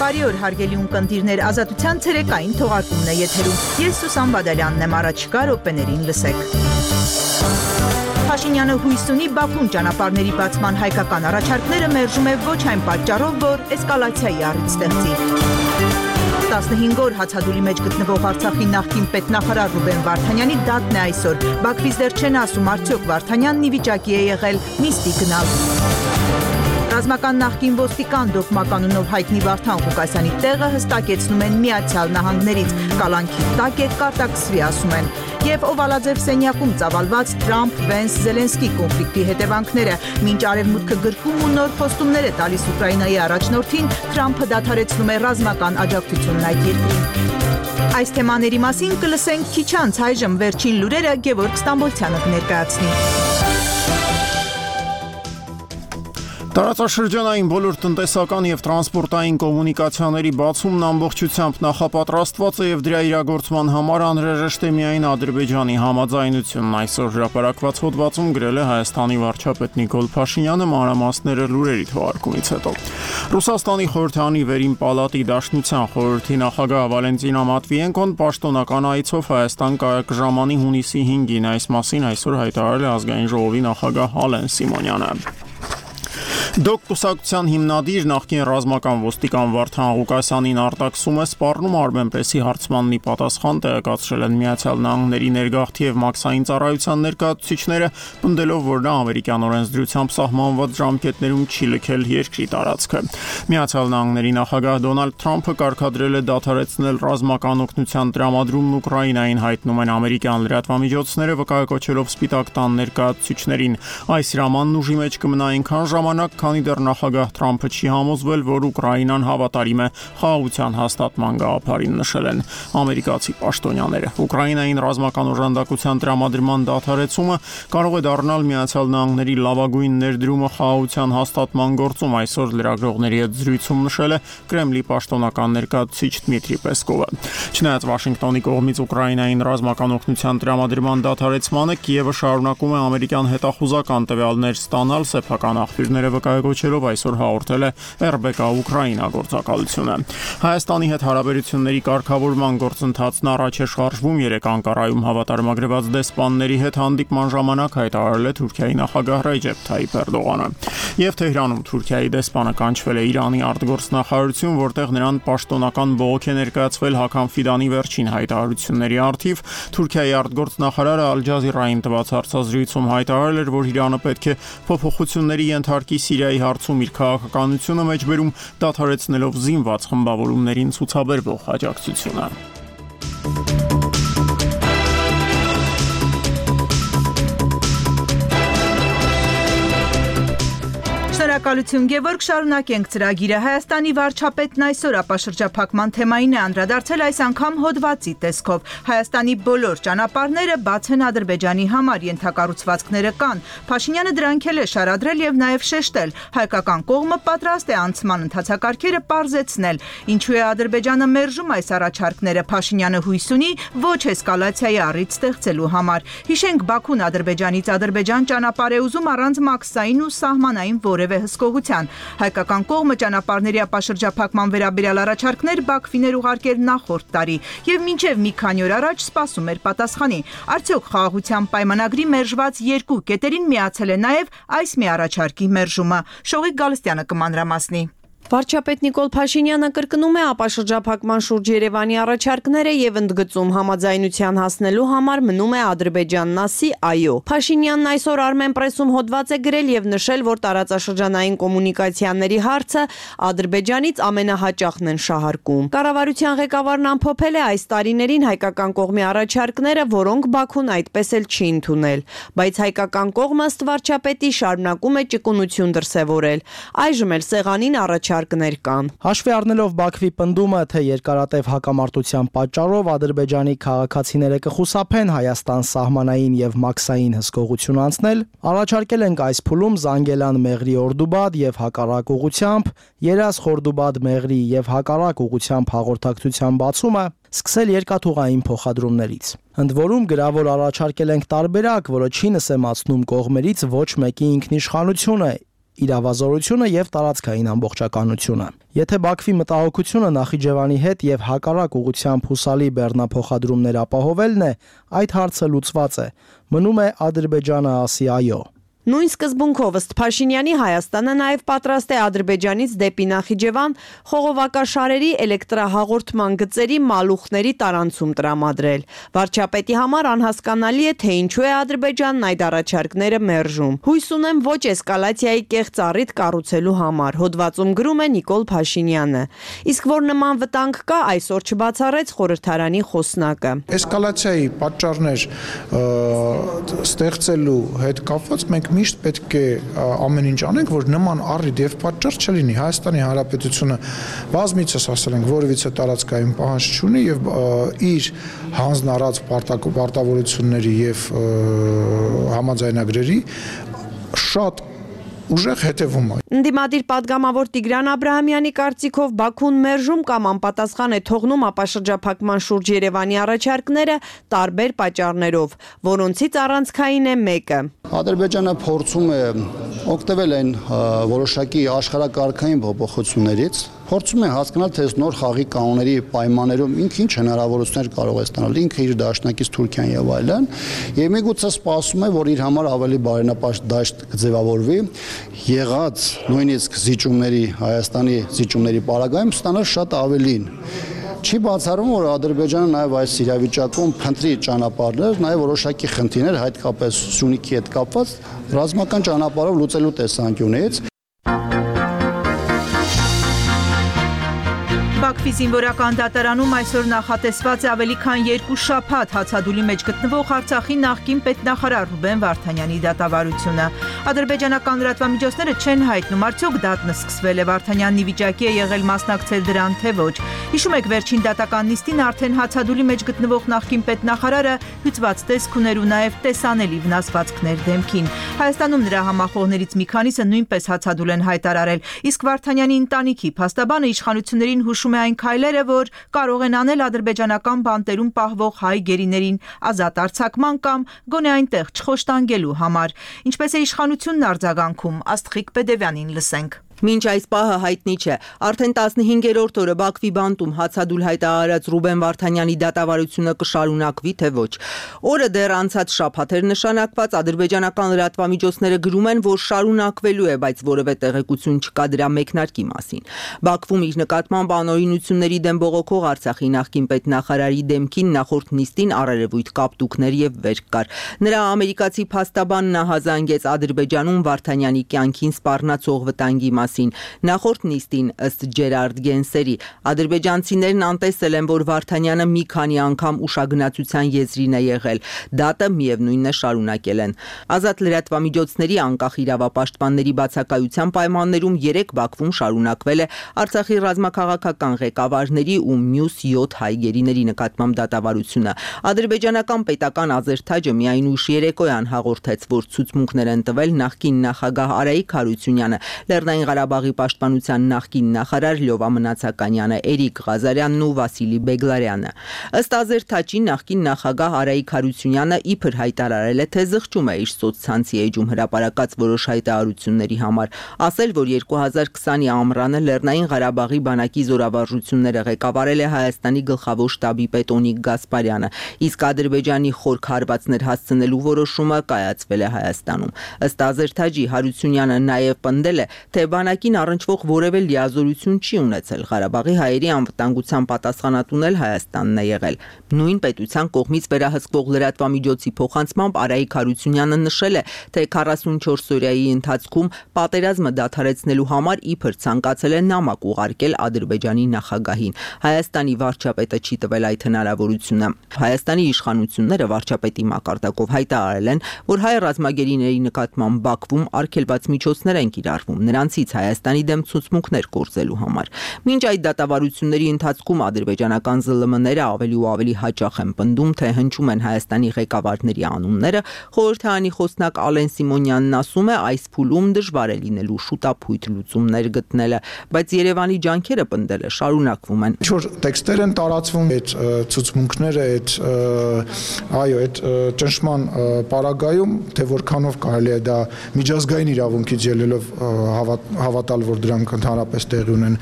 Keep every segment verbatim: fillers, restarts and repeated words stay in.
Բարի օր հարգելի ունկնդիրներ, Ազատության ցերեկային թողարկումն է եթերում։ Ես Սուսան Բադալյանն եմ, առաջիկա րոպեներին լսեք։ Փաշինյանը հույս ունի Բաքուն ճանապարհների բացման հայկական առաջարկները մերժում է ոչ այն պատճառով, որ էսկալացիայի առիթ ստեղծի։ տասնհինգ օր հացադուլի մեջ գտնվող Արցախի նախկին պետնախարար Ռուբեն Վարդանյանի դատն է այսօր։ Բաքվից դեռ չեն ասում, արդյոք Վարդանյանն ի վիճակի է եղել նիստի գնալ։ Ռազմական նախկին ոստիկան դոկմականունով հայտնի Վարդան Ղուկասյանի տեղը հստակեցնում են Միացյալ Նահանգներից, կալանքի տակ է, կարտաքսվի ասում են։ Եվ Օվալաձև սենյակում ծավալված Թրամփ-Վենս-Զելենսկի կոնֆլիկտի հետևանքները, մինչ Արևմուտքը գրքում ու նոր խոստումներ է տալիս Ուկրաինայի առաջնորդին, Թրամփը դադարեցնում է ռազմական աջակցությունն այդ երկրին։ Այս թեմաների մասին կլսենք քիչ անց, այժմ վերջին լուրերը Գևորգ Ստամբոլցյանը կներկայացնի։ Տարածաշրջանային բոլոր տնտեսական եւ տրանսպորտային կոմունիկացիաների բացումն ամբողջությամբ նախապատրաստված է եւ դրա իրագործման համար անհրաժեշտ է միայն Ադրբեջանի համաձայնությունն, այսօր հրապարակված հոդվածում գրել է Հայաստանի վարչապետ Նիկոլ Փաշինյանը մանրամասները լուրերի թողարկումից հետո։ Ռուսաստանի խորհրդանի վերին պալատի Դաշնության խորհրդի նախագահ Վալենտինա Մատվիենկոն պաշտոնական այցով Հայաստան կժամանի հունիսի հինգին, այս մասին այսօր հայտարարել է ազգային ժողովի նախագահ Ալեն Սիմոնյանը։ Դոկ կուսակցության հիմնադիր նախկին ռազմական ոստիկան Վարդան Ղուկասյանին արտաքսում է սպառնում Armenpress-ի հարցմաննի պատասխան տեղեկացրել են Միացյալ Նահանգների ներգաղթի եւ մաքսային ծառայության ներկայացուցիչները, պնդելով, որ նա ամերիկյան օրենսդրությամբ սահմանված ժամկետներում չի լքել երկրի տարածքը։ Միացյալ Նահանգների նախագահ Դոնալդ Թրամփը կարգադրել է դադարեցնել ռազմական օգնության տրամադրումն Ուկրաինային, հայտնում են ամերիկյան լրատվամիջոցները, վկայակոչելով Սպիտակ տան ներկայացուցիչներին։ Այս հրամանն ուժի մեջ կմնա այնքան ժամանակ, քանի դեռ նախագահ Թրամփը չի համոզվել, որ Ուկրաինան հավատարիմ է խաղաղության հաստատման գաղափարին, նշել են ամերիկացի պաշտոնյաները։ Ուկրաինային ռազմական օժանդակության տրամադրման դադարեցումը կարող է դառնալ Միացյալ Նահանգների լավագույն ներդրումը խաղաղության հաստատման գործում, այսօր լրագրողների հետ զրույցում նշել է Կրեմլի պաշտոնական ներկայացուցիչ Դմիտրի Պեսկովը։ Չնայած Վաշինգտոնի կողմից Ուկրաինային ռազմական օգնության տրամադրման դադարեցմանը, Կիևը շարունակում է ամերիկյան հետախուզական տվյալներ ստանալ, սեփական աղբյուրները վկայակոչելով այսօր հաղորդել է эр бэ կա Ուկրաինա գործակալությունը։ Հայաստանի հետ հարաբերությունների կարգավորման գործընթացն առաջ է շարժվում, երեք Անկարայում հավատարմագրված դեսպանների հետ հանդիպման ժամանակ հայտարարել է Թուրքիայի նախագահ Ռեջեփ Թայիփ Էրդողանը։ Եվ Թեհրանում Թուրքիայի դեսպանը կանչվել է Իրանի արտգործնախարարություն, որտեղ նրան պաշտոնական բողոք է ներկայացվել Հական Ֆիդանի վերջին հայտարարությունների առթիվ։ Թուրքիայի արտգործնախարարը Ալ Ջազիրային տված հարցազրույցում հայտարարել էր, որ Իրանը պետք է փոփոխությունների ենթարկի Սիրիայի հարցում իր քաղաքականությունը մեջբերում, դադարեցնելով զինված խմբավորումներին ցուցաբերվող աջակցությունը։ Շնորհակալություն Գևորգ, շարունակենք ծրագիրը։ Հայաստանի վարչապետն այսօր ապաշրջափակման թեմային է անդրադարձել, այս անգամ հոդվածի տեսքով։ Հայաստանի բոլոր ճանապարհները բաց են Ադրբեջանի համար, ենթակառուցվածքները կան։ Փաշինյանը դրանք էլ է շարադրել եւ նաեւ շեշտել։ Հայկական կողմը պատրաստ է անցման ընթացակարգերը պարզեցնել։ Ինչու է Ադրբեջանը մերժում այս առաջարկները, Փաշինյանը հույս ունի ոչ էսկալացիայի առիթ ստեղծելու համար։ Հիշենք, Բաքուն Ադրբեջանից Ադրբեջան ճանապարհ է ուզում առանց մաքսային ու սահմանային որևէ հսկողության։ Հայկական կողմը ճանապարհների ապաշրջափակման վերաբերյալ առաջարկներ Բաքվին էր ուղարկել նախորդ տարի եւ մինչեւ մի քանի օր առաջ սպասում էր պատասխանի։ Արդյոք խաղաղության պայմանագրի մերժված երկու կետերին միացել է նաեւ այս մի առաջարկի մերժումը։ Շողիկ Գալստյանը կմանրամասնի։ Վարչապետ Նիկոլ Փաշինյանը կրկնում է ապաշրջափակման շուրջ Երևանի առաջարկները եւ ընդգծում համաձայնության հասնելու համար մնում է Ադրբեջանն ասի այո։ Փաշինյանն այսօր Armenpress-ում հոդված է գրել եւ նշել, որ տարածաշրջանային կոմունիկացիաների հարցը Ադրբեջանից ամենահաճախն են շահարկում։ Կառավարության ղեկավարն ամփոփել է այս տարիներին հայկական կողմի առաջարկները, որոնք Բաքուն այդպես էլ չի ընդունել, բայց հայկական կողմը ըստ վարչապետի շարունակում է ճկունություն դրսևորել։ Այժմ էլ սեղանին առաջ կան։ Հաշվի առնելով Բաքվի պնդումը, թե երկարատև հակամարտության պատճառով Ադրբեջանի քաղաքացիները կխուսափեն Հայաստան սահմանային եւ մաքսային հսկողություն անցնել, առաջարկել ենք այս փուլում Զանգելան Մեղրի Օրդուբադ եւ հակառակ ուղությամբ, Երազ Խորդուբադ Մեղրի եւ հակառակ ուղությամբ հաղորդակցության բացումը, սկսել երկաթուղային փոխադրումներից։ Ընդ որում գրավոր առաջարկել ենք տարբերակ, որը չի նսեմացնում կողմերից ոչ մեկի ինքնիշխանությունը, իրավազորությունը եւ տարածքային ամբողջականությունը։ Եթե Բաքվի մտահոգությունը Նախիջևանի հետ եւ հակառակ ուղղությամբ հուսալի բեռնափոխադրումներ ապահովելն է, այդ հարցը լուծված է։ Մնում է Ադրբեջանը ասի այո։ Նույն սկզբունքով ըստ Փաշինյանի Հայաստանը նաև պատրաստ է Ադրբեջանից դեպի Նախիջևան խողովակաշարերի էլեկտրահաղորդման գծերի մալուխների տարանցում տրամադրել։ Վարչապետի համար անհասկանալի է, թե ինչու է Ադրբեջանն այդ առաջարկները մերժում։ Հույս ունեմ ոչ էսկալացիայի կեղծ առիթ կառուցելու համար, հոդվածում գրում է Նիկոլ Փաշինյանը։ Իսկ որ նման վտանգ կա, այսօր չբացառեց խորհրդարանի խոսնակը։ Էսկալացիայի պատճառներ ստեղծելու հետ կապված մենք միշտ պետք է ամեն ինչ անենք, որ նման առիթ եւ պատճառ չլինի։ Հայաստանի Հանրապետությունը բազմիցս ասել ենք, որևիցե տարածքային պահանջ չունի եւ իր հանձնարարած պարտավորությունների եւ համաձայնագրերի շատ ուժեղ հետևում է։ Ընդդիմադիր падգամավոր Տիգրան Աբրահամյանի կարծիքով Բաքուն մերժում կամ անպատասխան է թողնում ապաշրջափակման շուրջ Երևանի առաջարկները տարբեր պատճառներով, որոնցից առանցքային է մեկը։ Ադրբեջանը փորձում է օգտվել այն որոշակի աշխարհակարգային փոփոխություններից, փորձում է հասկանալ, թե նոր խաղի կանոնների պայմաններում ինքը ինչ հնարավորություններ կարող է ստանալ, ինքը իր դաշնակից Թուրքիան եւ այլն, եւ միգուցե սպասում է, որ իր համար ավելի բարենպաստ դաշտ կձևավորվի, եղած նույնիսկ զիջումների, Հայաստանի զիջումների պարագայում ստանալ շատ ավելին։ Չի բացառվում, որ Ադրբեջանը նաև այս իրավիճակում փնտրի ճանապարհներ, նաև որոշակի խնդիրներ, հատկապես Սյունիքի հետ կապված ռազմական ճանապարհով լուծելու տեսանկյունից։ Բաքվի զինվորական դատարանում այսօր նախատեսված է ավելի քան երկու շաբաթ հացադուլի մեջ գտնվող Արցախի նախկին պետնախարար Ռուբեն Վարդանյանի դատավարությունը։ Ադրբեջանական լրատվամիջոցները չեն հայտնում, արդյոք դատն սկսվել է, Վարդանյանն ի վիճակի է եղել մասնակցել դրան, թե ոչ։ Հիշում եք, վերջին դատական նիստին արդեն հացադուլի մեջ գտնվող նախկին պետնախարարը հյուծված տեսք ուներ ու նաև տեսանելի վնասվածքներ դեմքին։ Հայաստանում նրա համախոհներից մի քանիսը նույնպես հացադուլ են հայտարարել, իսկ Վարդանյանի ընտանիքի փաստաբանը իշխանություններին հուշում է այն քայլերը, որ կարող են անել ադրբեջանական բանտերում պահվող հայ գերիներին ազատ արձակման կամ գոնե այնտեղ չխոշտանգելու համար։ Ինչպես է իշխանությունն արձագանքում, Աստղիկ Պեդևյանին լսենք։ Մինչ այս պահը հայտնի չէ, արդեն տասնհինգերորդ օրը Բաքվի բանտում հացադուլ հայտարարած Ռուբեն Վարդանյանի դատավարությունը կշարունակվի, թե ոչ։ Օրը դեռ անցած շաբաթ էր նշանակված, ադրբեջանական լրատվամիջոցները գրում են, որ շարունակվելու է, բայց որևէ տեղեկություն չկա դրա մեկնարկի մասին։ Բաքվում իր նկատմամբ անօրինությունների դեմ բողոքող Արցախի նախկին պետնախարարի դեմքին նախորդ նիստին առերևույթ կապտուկներ եւ վերք կար։ Նրա ամերիկացի փաստաբանն հազանգեց Ադրբեջանում Վարդանյանի կյանքին սպառնացող վտանգի Նախորդ նիստին ըստ Ջերարդ Գենսերի ադրբեջանցիներն անտեսել են, որ Վարդանյանը մի քանի անգամ ուշագնացության եզրին է եղել, դատը միևնույնն է շարունակել են։ Ազատ լրատվամիջոցների անկախ իրավապաշտպանների բացակայության պայմաններում երեք Բաքվում շարունակվել է Արցախի ռազմաքաղաքական ղեկավարների ու մյուս յոթ հայ գերիների նկատմամբ դատավարությունը։ Ադրբեջանական պետական ազերթաճը միայն ուշ երեկոյան հաղորդեց, որ ցուցմունքներ են տվել նախկին նախագահ Արայիկ Հարությունյանը, Լեռնային Ղարաբաղի պաշտպանության նախկին նախարար Լյովա Մնացականյանը, Էրիկ Ղազարյանն ու Վասիլի Բեգլարյանը։ Ըստ ազերթաճի նախկին նախագահ Արայիկ Հարությունյանը իբր հայտարարել է, թե զղջում է իր սոցցանցի էջում հրապարակած որոշ հայտարարությունների համար, ասել, որ երկու հազար քսանի ամռանը Լեռնային Ղարաբաղի բանակի զորավարժությունները ղեկավարել է Հայաստանի գլխավոր շտաբի պետ Օնիկ Գասպարյանը, իսկ Ադրբեջանի խորք հարվածներ հասցնելու որոշումը կայացվել է Հայաստանում։ Ըստ ազերթաճի Հարությունյանը նաև պնդել է, թե բանակին առնչվող որևէ լիազորություն չի ունեցել, Ղարաբաղի հայերի անվտանգության պատասխանատուն էլ Հայաստանն է եղել։ Նույն պետության կողմից վերահսկվող լրատվամիջոցի փոխանցմամբ Արայիկ Հարությունյանը նշել է, թե քառասունչորս օրյայի ընթացքում պատերազմը դադարեցնելու համար իբր ցանկացել է նամակ ուղարկել Ադրբեջանի նախագահին։ Հայաստանի վարչապետը չի տվել այդ հնարավորությունը։ Հայաստանի իշխանությունները վարչապետի մակարդակով հայտարարել են, որ հայ ռազմագերիների նկատմամբ Բաքվում արգելված միջոցներ են կիրառվում նրանցից Հայաստանի դեմ ցուցմունքներ կորցելու համար։ Մինչ այդ դատավարությունների ընթացքում ադրբեջանական զլ մ-ները ավելի ու ավելի հաճախ են պնդում, թե հնչում են Հայաստանի ղեկավարների անունները, խորհրդարանի խոսնակ Ալեն Սիմոնյանն ասում է, այս փուլում դժվար է լինելու շուտափույթ լուծումներ գտնելը, բայց Երևանի ջանքերը պնդելը շարունակվում են։ Ինչ-որ տեքստեր են տարածվում, այդ ցուցմունքները, այդ այո, այդ ճնշման պարագայում, թե որքանով կարելի է դա միջազգային իրավունքից ելնելով հավատալ, որ դրանք ընդհանրապես տեղի ունեն,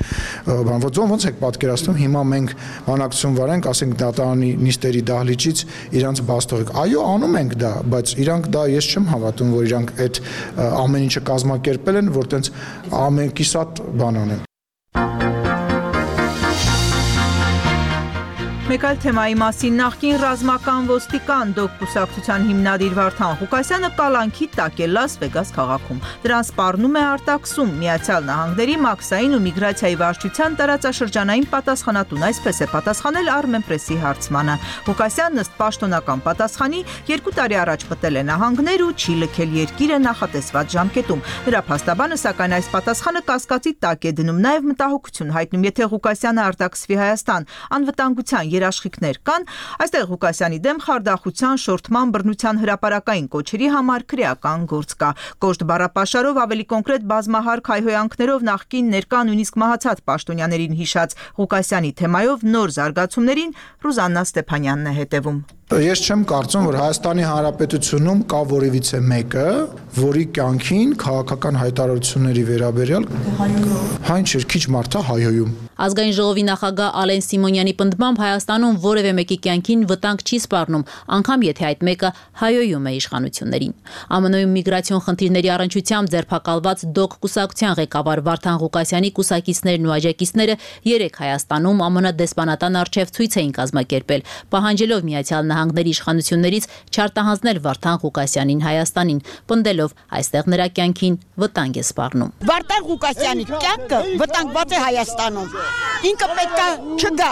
բան ոնց եք պատկերացնում, հիմա մենք բանակցություն վարենք, ասենք դատարանի նիստերի դահլիճից իրանց բաց թողեք։ Այո, անում ենք դա, բայց իրանք դա ես չեմ հավատում, որ իրանք այդ ամեն ինչը կազմակերպել են, որ տենց ամեն կիսատ բան անեն։ Մեկ այլ թեմայի մասին նախկին ռազմական ոստիկան դոկ կուսակցության հիմնադիր Վարդան Ղուկասյանը կալանքի տակ է Լաս Վեգաս քաղաքում։ Դրան սպառնում է արտաքսում Միացյալ Նահանգների մաքսային ու միգրացիայի վարչության տարածաշրջանային պատասխանատուն, այսպես է պատասխանել Armenpress-ի հարցմանը։ Ղուկասյանն ըստ պաշտոնական պատասխանի երկու տարի առաջ մտել է նահանգներ ու չի լքել երկիրը նախատեսված ժամկետում։ Նրա փաստաբանը սակայն այս պատասխանը կասկածի տակ է դնում, նաև մտահոգություն հայտնում, եթե Ղուկասյանը արտաքսվի Հայաստան, անվտանգության երաշխիքներ կան, այստեղ Ղուկասյանի դեմ խարդախության, շորթման, բռնության հրապարակային կոչերի համար քրեական գործ կա։ Կոշտ բառապաշարով, ավելի կոնկրետ բազմահարկ հայհոյանքներով նախկին ներկա նույնիսկ մահացած պաշտոնյաներին հիշած Ղուկասյանի թեմայով նոր զարգացումներին Ռուզաննա Ստեփանյանն է հետևում։ Ես չեմ կարծում, որ Հայաստանի Հանրապետությունում կա որևիցե մեկը, որի կյանքին քաղաքական հայտարարությունների վերաբերյալ հայն չէ, քիչ մարդ է հայհոյում։ Ազգային ժողովի նախագահ Ալեն Սիմոնյանի պնդմամբ Հայաստանում որևէ մեկի կյանքին վտանգ չի սպառնում, անգամ եթե այդ մեկը հայհոյում է իշխանություններին։ ԱՄՆ-ում միգրացիոն խնդիրների առնչությամբ ձերբակալված դոկ կուսակցության ղեկավար Վարդան Ղուկասյանի կուսակիցներն ու աջակիցները երեք Հայաստանում ԱՄՆ դեսպանատան առջև ցույց էին կազմակերպել, պահանջելով Միացյալ Նահանգների իշխանություններից չարտահանձնել Վարդան Ղուկասյանին Հայաստանին, պնդելով այստեղ նրա կյանքին վտանգ է սպառնում։ Վարդան Ղուկասյանի կյանքը վտանգված է Հայաստանում։ Ինքը պետք է չգա։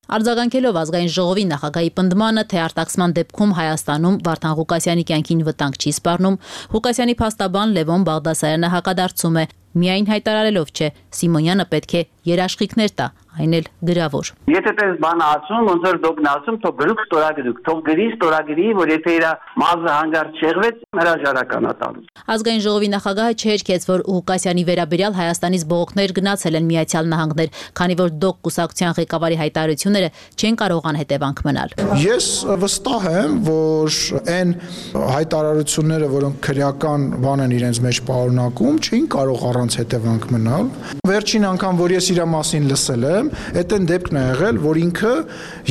Արձագանքելով ազգային ժողովի նախագահի պնդմանը, թե արտաքսման դեպքում Հայաստանում Վարդան Ղուկասյանի կյանքին վտանգ չի սպառնում, Ղուկասյանի փաստաբան Լևոն Բաղդասարյանը հակադարձում է, միայն հայտարարելով չէ, Սիմոնյանը պետք է երաշխիքներ տա, այն էլ գրավոր։ Եթե տես բան ասում, ոնց որ դոկն ասում, թող գրուկ ստորագրուկ, թող գրի ստորագրի, որ եթե իր մազը հանգարտ շեղվեց, հրաժարական է տալու։ Ազգային ժողովի նախագահը չհերքեց, որ Ղուկասյանի վերաբերյալ Հայաստանից բողոքներ գնացել են Միացյալ Նահանգներ, քանի որ դոկ կուսակցության ղեկավարի հայտարարությունները չեն կարող անհետևանք մնալ։ Ես վստահ եմ, որ այն հայտարարությունները, որոնք քրեական բան են իրենց մեջ պարունակում, չէին կարող առանց հետևանք մնալ։ Վերջին անգամ, որ ես իր մասին լսել եմ, այդ այն դեպքն է եղել, որ ինքը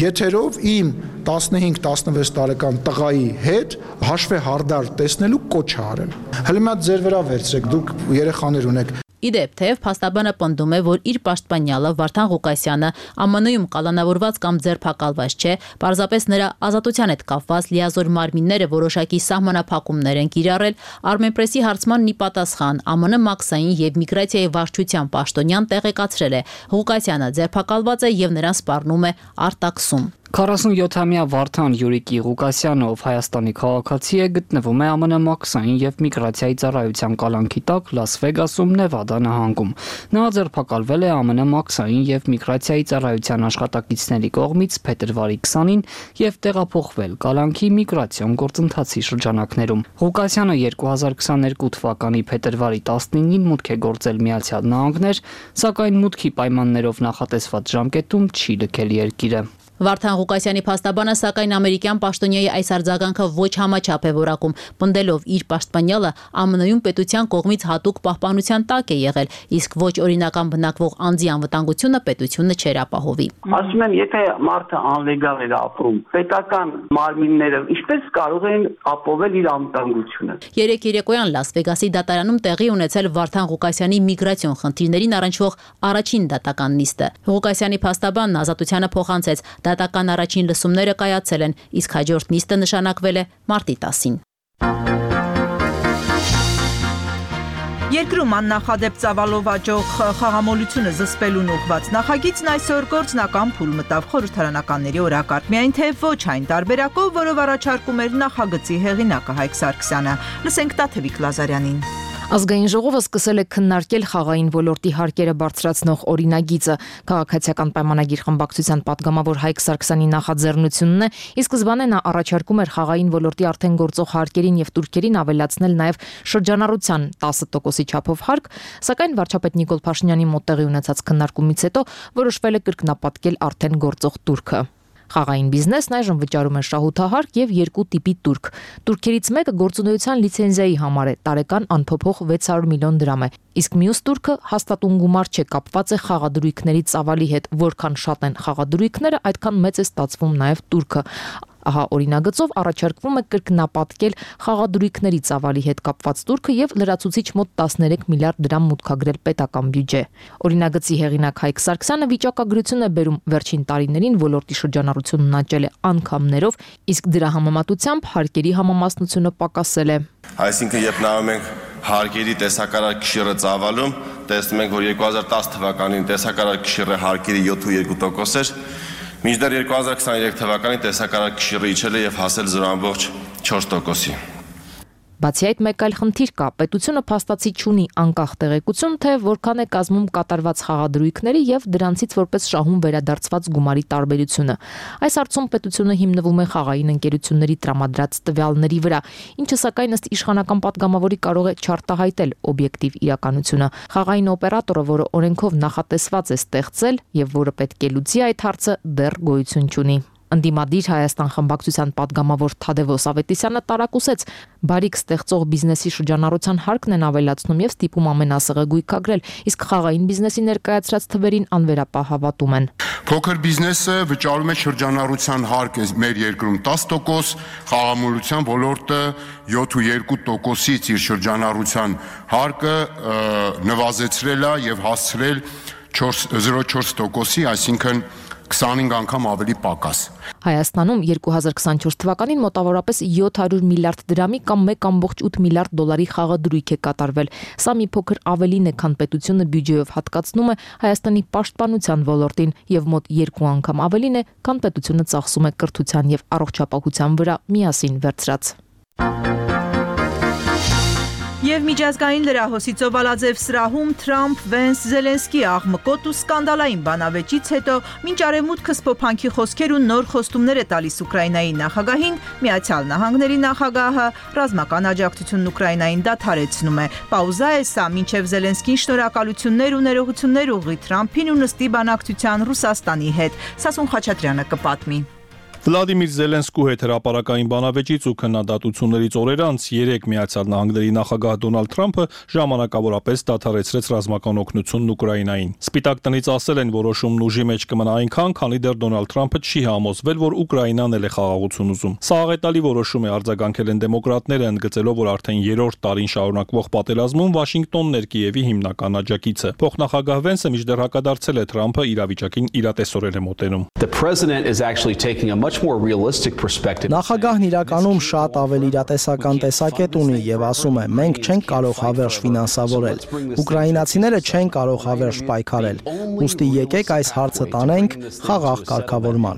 եթերով իմ տասնհինգ տասնվեց տարեկան տղայի հետ հաշվե հարդար տեսնելու կոչ է արել։ Հələ մի հատ ձեր վրա վերցրեք, դուք երեխաներ ունեք։ Իդեպ, թեև փաստաբանը պնդում է, որ իր պաշտպանյալը Վարդան Ղուկասյանը ԱՄՆ-ում կալանավորված կամ ձերբակալված չէ, պարզապես նրա ազատության հետ կապված լիազոր մարմինները որոշակի սահմանափակումներ են կիրառել, Armenpress-ի հարցմանն ի պատասխան ԱՄՆ մաքսային եւ միգրացիայի վարչության պաշտոնյան տեղեկացրել է, Ղուկասյանը ձերբակալված է եւ նրան սպառնում է արտաքսում։ քառասունյոթամյա Վարդան Յուրիկի Ղուկասյանը, ով Հայաստանի քաղաքացի է, գտնվում է ԱՄՆ մաքսային եւ միգրացիայի ծառայության կալանքի տակ Լաս Վեգասում, Նևադա նահանգում։ Նա ձերբակալվել է ԱՄՆ մաքսային եւ միգրացիայի ծառայության աշխատակիցների կողմից փետրվարի քսանին եւ տեղափոխվել կալանքի միգրացիոն գործընթացի շրջանակներում։ Ղուկասյանը երկու հազար քսաներկու թվականի փետրվարի տասնինին մուտք է գործել Միացյալ Նահանգներ, սակայն մուտքի պայմաններով նախատեսված ժամկետում չի լքել երկիրը։ Վարդան Ղուկասյանի փաստաբանը սակայն ամերիկյան պաշտոնյայի այս արձագանքը ոչ համաչափ է որակում, պնդելով իր պաշտպանյալը ԱՄՆ-ում պետության կողմից հատուկ պահպանության տակ է եղել, իսկ ոչ օրինական բնակվող անձի անվտանգությունը պետությունը չեր ապահովի։ Ասում եմ, եթե մարդը անլեգալ էր ապրում, պետական մարմինները ինչպես կարող են ապահովել իր անվտանգությունը։ Երեք երեկոյան Լաս Վեգասի դատարանում տեղի ունեցել Վարդան Ղուկասյանի միգրացիոն խնդիրներին առնչվող առաջին դատական նիստը։ Ղուկասյանի փաստաբանն ազատությանը փոխանցեց, դատական առաջին լսումները կայացել են, իսկ հաջորդ նիստը նշանակվել է մարտի տասին։ Երկրում աննախադեպ ծավալով աճող խաղամոլությունը զսպելուն ուղղված նախագիծն այսօր գործնական փուլ մտավ խորհրդարանականների օրակարգ, միայն թե ոչ այն տարբերակով, որով առաջարկում էր նախագծի հեղինակը Հայկ Սարգսյանը։ Լսենք Տաթևիկ Լազարյանին։ Ազգային ժողովը սկսել է քննարկել խաղային ոլորտի հարկերը բարձրացնող օրինագիծը։ Քաղաքացիական պայմանագիր խմբակցության падգամավոր Հայկ Սարգսյանի նախաձեռնությունն է, ի սկզբանե նա առաջարկում էր խաղային ոլորտի արդեն գործող հարկերին եւ տուրքերին ավելացնել նաեւ շրջանառության տասը տոկոսի չափով հարկ, սակայն վարչապետ Նիկոլ Փաշինյանի մոտ տեղի ունեցած քննարկումից հետո որոշվել է կրկնապատկել արդեն գործող տուրքը։ Խաղային բիզնեսն այժմ վճարում է շահութահարկ եւ երկու տիպի տուրք։ Տուրքերից մեկը գործունեության լիցենզիայի համար է, տարեկան անփոփոխ վեց հարյուր միլիոն դրամ է, իսկ մյուս տուրքը հաստատուն գումար չէ, կապված է խաղադրույքների ծավալի հետ, որքան շատ են խաղադրույքները, այդքան մեծ է ստացվում նաեւ տուրքը։ Ահա օրինագծով առաջարկվում է կրկնապատկել խաղադրույքների ծավալի հետ կապված տուրքը եւ լրացուցիչ մոտ տասներեք միլիարդ դրամ մուտքագրել պետական բյուջե։ Օրինագծի հեղինակ Հայկ Սարգսյանը վիճակագրություն է բերում վերջին տարիներին ոլորտի շրջանառությունն աճել է անգամներով, իսկ դրա համեմատությամբ հարկերի համամասնությունը պակասել է։ Այսինքն երբ նայում ենք հարկերի տեսակարար կշիռը ծավալում, տեսնում ենք, որ երկու հազար տասը թվականին տեսակարար կշիռը հարկերի յոթ ու երկու տոկոս էր, մինչդեռ երկու հազար քսաներեք թվականին տեսակարար կշիռը իջել է եւ հասել զրո ամբողջ չորս տոկոսի։ Բացի այդ, մեկ այլ խնդիր կա. պետությունը փաստացի չունի անկախ տեղեկություն, թե որքան է կազմում կատարված խաղադրույքների եւ դրանցից որպես շահում վերադարձված գումարի տարբերությունը։ Այս հարցում պետությունը հիմնվում է խաղային ընկերությունների տրամադրած տվյալների վրա, ինչը սակայն ըստ իշխանական падգամավորի կարող է չարտահայտել օբյեկտիվ իրականությունը։ Խաղային օպերատորը, որը օրենքով նախատեսված է ստեղծել եւ որը պետք է լուծի այդ հարցը, դեռ գոյություն չունի։ Ընդդիմադիր Հայաստան խմբակցության падգամավոր Թադևոս Ավետիսյանը տարակուսեց բարիք ստեղծող բիզնեսի շրջանառության հարկն են ավելացնում եւ ստիպում ամենասեղը գույքագրել, իսկ խաղային բիզնեսի ներկայացրած թվերին անվերապահ հավատում են։ Փոքր բիզնեսը վճարում է շրջանառության հարկ մեր երկրում տասը տոկոս, խաղամոլության ոլորտը յոթ ու երկու տոկոսից իր շրջանառության հարկը նվազեցրել է եւ հասցրել զրո չորս տոկոսի, այսինքն քսանհինգ անգամ ավելի պակաս։ Հայաստանում երկու հազար քսանչորս թվականին մոտավորապես յոթ հարյուր միլիարդ դրամի կամ մեկ կամբողջ ութ միլիարդ դոլարի խաղադրույք է կատարվել։ Սա մի փոքր ավելին է, քան պետությունը բյուջեով հատկացնում է Հայաստանի պաշտպանության ոլորտին եւ մոտ երկու անգամ ավելին է, քան պետությունը ծախսում է կրթության եւ առողջապահության վրա միասին վերցրած։ Եվ միջազգային լրահոսի ծովալաձև սրահում Թրամփ, Վենս, Զելենսկի աղմկոտ ու սկանդալային բանավեճից հետո մինչ արևմուտքը սփոփանքի խոսքեր ու նոր խոստումներ է տալիս Ուկրաինայի նախագահին, Միացյալ Նահանգների նախագահը ռազմական աջակցությունն Ուկրաինային դադարեցնում է։ Պաուզա է սա, մինչև Զելենսկին շնորհակալություններ ու ներողություններ ուղղի Թրամփին ու նստի բանակցության Ռուսաստանի հետ։ Սասուն Խաչատրյանը կպատմի։ Վլադիմիր Զելենսկու հետ հրապարակային բանավեճից ու քննադատություններից օրեր անց երեք Միացյալ Նահանգների նախագահ Դոնալդ Թրամփը ժամանակավորապես դադարեցրեց ռազմական օգնությունն Ուկրաինային։ Սպիտակ տնից ասել են, որոշումն ուժի մեջ կմնա այնքան, քանի դեռ Դոնալդ Թրամփը չի համոզվել, որ Ուկրաինան էլ է խաղաղություն ուզում։ Սա աղետալի որոշում է, արձագանքել են դեմոկրատները, ընդգծելով, որ արդեն երրորդ տարին շարունակվող պատերազմում Վաշինգտոնն էր Կիևի հիմնական աջակիցը։ Փոխնախագահ Վենսը մինչդեռ հակադարձել է Թրամփը իրավիճակին իրատեսորեն է մոտենում։ Նախագահն իրականում շատ ավելի իրատեսական տեսակետ ունի եւ ասում է. մենք չենք կարող հավերժ ֆինանսավորել, ուկրաինացիները չեն կարող հավերժ պայքարել, ուստի եկեք այս հարցը տանենք խաղաղ կարգավորման։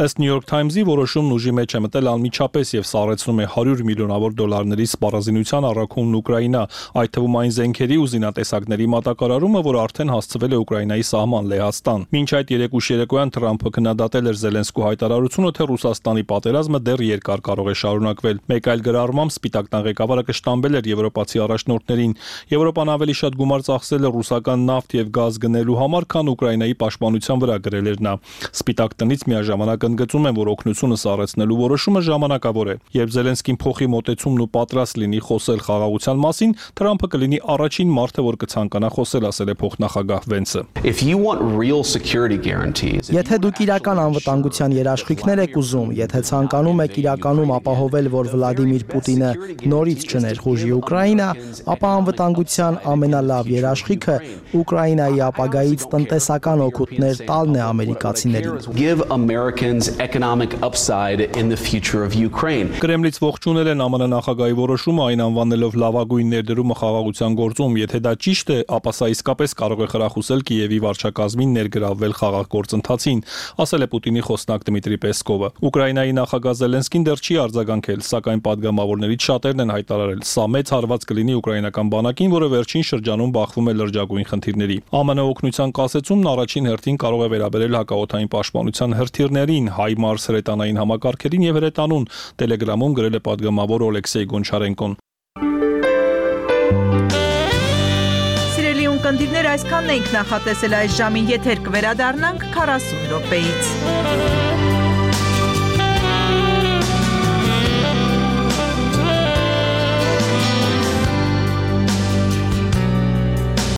Ըստ New York Times-ի որոշումն ուժի մեջ է մտել անմիջապես եւ սառեցնում է հարյուր միլիոնավոր դոլարների սպառազինության առաքումն Ուկրաինա, այդ թվում այն զենքերի ու զինատեսակների մատակարարումը, որ արդեն հասցվել է Ուկրաինայի սահման Լեհաստան։ Մինչ այդ երեք ուշ երեկոյան Թրամփը քննադատել էր Զելենսկու հայտարարությունը, թե Ռուսաստանի պատերազմը դեռ երկար կարող է շարունակվել։ Մեկ այլ գրառմամբ Սպիտակ տան ղեկավարը կշտամբել էր եվրոպացի առաջնորդներին։ Եվրոպան ավելի շատ գումար ծախսել է ռուսական նավթ եւ գազ գնելու համար, քան Ուկրաինայի պաշտպանության վրա գրել էր նա։ Սպիտակ տնից միաժամանակ ընդգծում են, որ օգնությունը սառեցնելու որոշումը ժամանակավոր է։ Երբ Զելենսկին փոխի մոտեցումն ու պատրաստ լինի խոսել խաղաղության մասին, Թրամփը կլինի առաջին մարդը, որ կցանկանա խոսել, ասել է փոխնախագահ Վենսը։ Եթե դուք իրական անվտանգության երաշխիքներ եք ուզում, եթե ցանկանում եք իրականում ապահովել, որ Վլադիմիր Պուտինը նորից չներխուժի Ուկրաինա, ապա անվտանգության ամենալավ երաշխիքը Ուկրաինայի ապագայից տնտեսական օգուտներ տալն է ամերիկացիներին։ Կրեմլից ողջունել են ԱՄՆ նախագահի որոշումը, այն անվանելով լավագույն ներդրումը խաղաղության գործում։ Եթե դա ճիշտ է, ապա սա իսկապես կարող է խրախուսել Կիևի վարչակազմին ներգրավվել խաղաղ գործընթացին, ասել է Պուտինի խոսնակ Դմիտրի Պեսկովը։ Ուկրաինայի նախագահ Զելենսկին դեռ չի արձագանքել, սակայն падգամավորներից շատերն են հայտարարել, սա մեծ հարված կլինի ուկրաինական բանակին, որը վերջին շրջանում բախվում է լրջագույն խնդիրների։ ԱՄՆ օգնության կասեցումն առաջին հերթին կարող է վերաբերել հակաօդային պաշտպանության հրթիռներին, HIMARS հրետանային համակարգերին եւ հրետանուն, Telegram-ում գրել է падգամավոր Օլեքսեյ Գոնչարենկոն։ ունկնդիրներ, այսքանն էինք նախատեսել այս ժամին, եթեր կվերադառնանք քառասուն րոպեից։